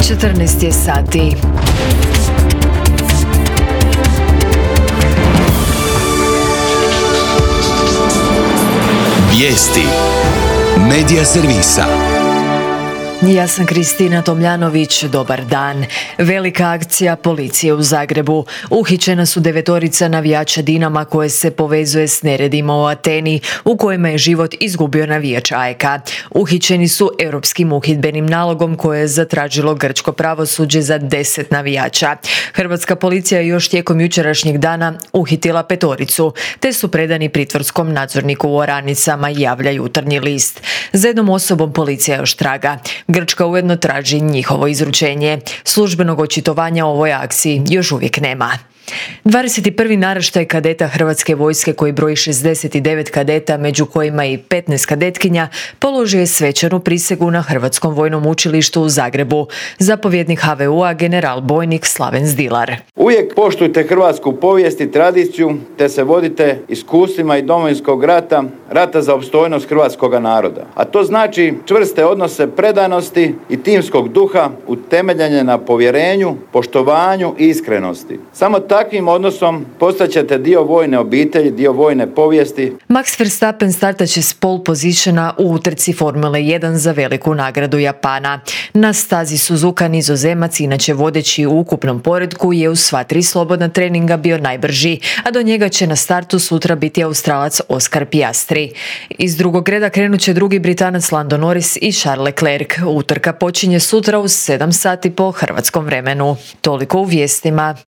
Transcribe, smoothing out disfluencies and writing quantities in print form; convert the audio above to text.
14 je sati. Vijesti Medija servisa. Ja sam Kristina Tomljanović, dobar dan. Velika akcija policije u Zagrebu. Uhićena su 9 navijača Dinama koje se povezuje s neredima u Ateni, u kojima je život izgubio navijač AEK. Uhićeni su europskim uhidbenim nalogom koje je zatražilo grčko pravosuđe za 10 navijača. Hrvatska policija je još tijekom jučerašnjeg dana uhitila 5, te su predani pritvorskom nadzorniku u Oranicama, javlja Jutarnji list. Za jednom osobom policija još traga. Grčka ujedno traži njihovo izručenje. Službenog očitovanja o ovoj akciji još uvijek nema. 21. naraštaj kadeta Hrvatske vojske koji broji 69 kadeta, među kojima i 15 kadetkinja, položio je svečanu prisegu na Hrvatskom vojnom učilištu u Zagrebu. Zapovjednik HVU-a general bojnik Slaven Zdilar. Uvijek poštujte hrvatsku povijest i tradiciju, te se vodite iskustvima i Domovinskog rata, rata za opstojnost hrvatskog naroda. A to znači čvrste odnose predanosti i timskog duha utemeljene na povjerenju, poštovanju i iskrenosti. Samo takvim odnosom postaćete dio vojne obitelji, dio vojne povijesti. Max Verstappen startat će s pole positiona u utrci Formule 1 za veliku nagradu Japana. Na stazi Suzuka Nizozemac, inače vodeći u ukupnom poretku, je u sva 3 slobodna treninga bio najbrži, a do njega će na startu sutra biti Australac Oscar Piastri. Iz drugog reda krenut će drugi Britanac Lando Norris i Charles Leclerc. Utrka počinje sutra u 7 sati po hrvatskom vremenu. Toliko u vijestima.